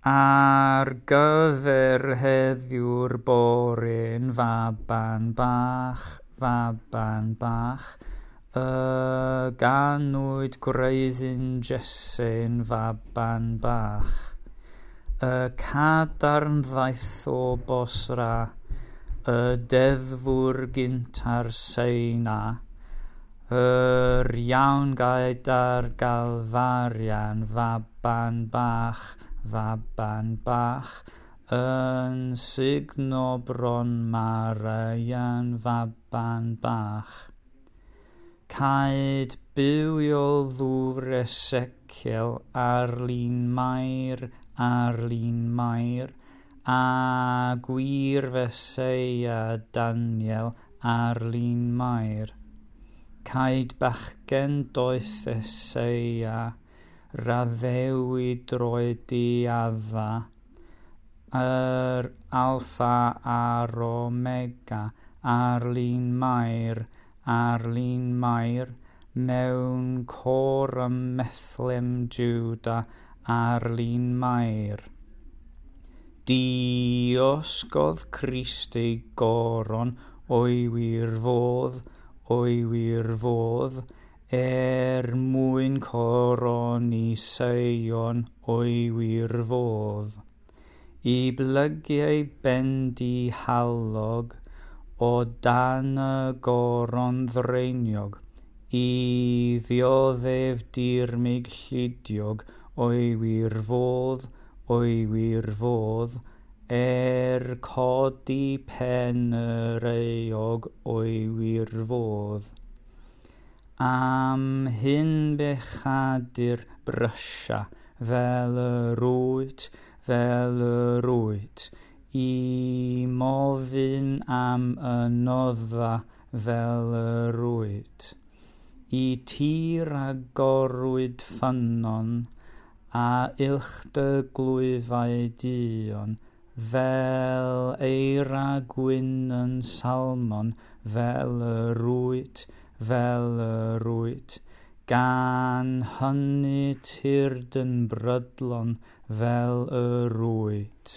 Ar gyfer heddiw'r bore'n faban bach, faban bach, y ganwyd gwreiddyn Jesse'n faban bach. Y cadarn ddaeth o Bosra, y deddfwr gynt ar Seina, yr iawn gyda'r Galfarian, faban bach, faban bach, yn sugno bron Marian, faban bach. Caed bywiol ddŵr Ezekiel ar lun Mair, ar lun Mair, a gwir Feseia Daniel ar lun Mair. Caed bachgen doeth Eseia, raddewid droed i Adda, yr Alpha a'r Omega, ar lun Mair, ar lun Mair, mewn côr ym Methlem Juda, ar lun Mair. Diosgodd Crist ei goron o'i wir fodd, o'i wir fodd, er mwyn coroni Seion o'i wir fodd. I blygu ei ben dihalog o dan y goron ddreiniog, i ddioddef dirmyg llidiog o'i wir fodd, o'i wir fodd, er codi pen yr euog o'i wir fodd. Am hyn bechadur brysia, fel yr wyt, fel yr wyt, i mofyn am y noddfa fel yr wyt. I ti ragorwyd ffynnon, a uwch dy glwyfau duon, fel eira gwyn yn Salmon, fel yr wyt, fel yr wyt, gan hynny tyrd yn brydlon fel yr wyt.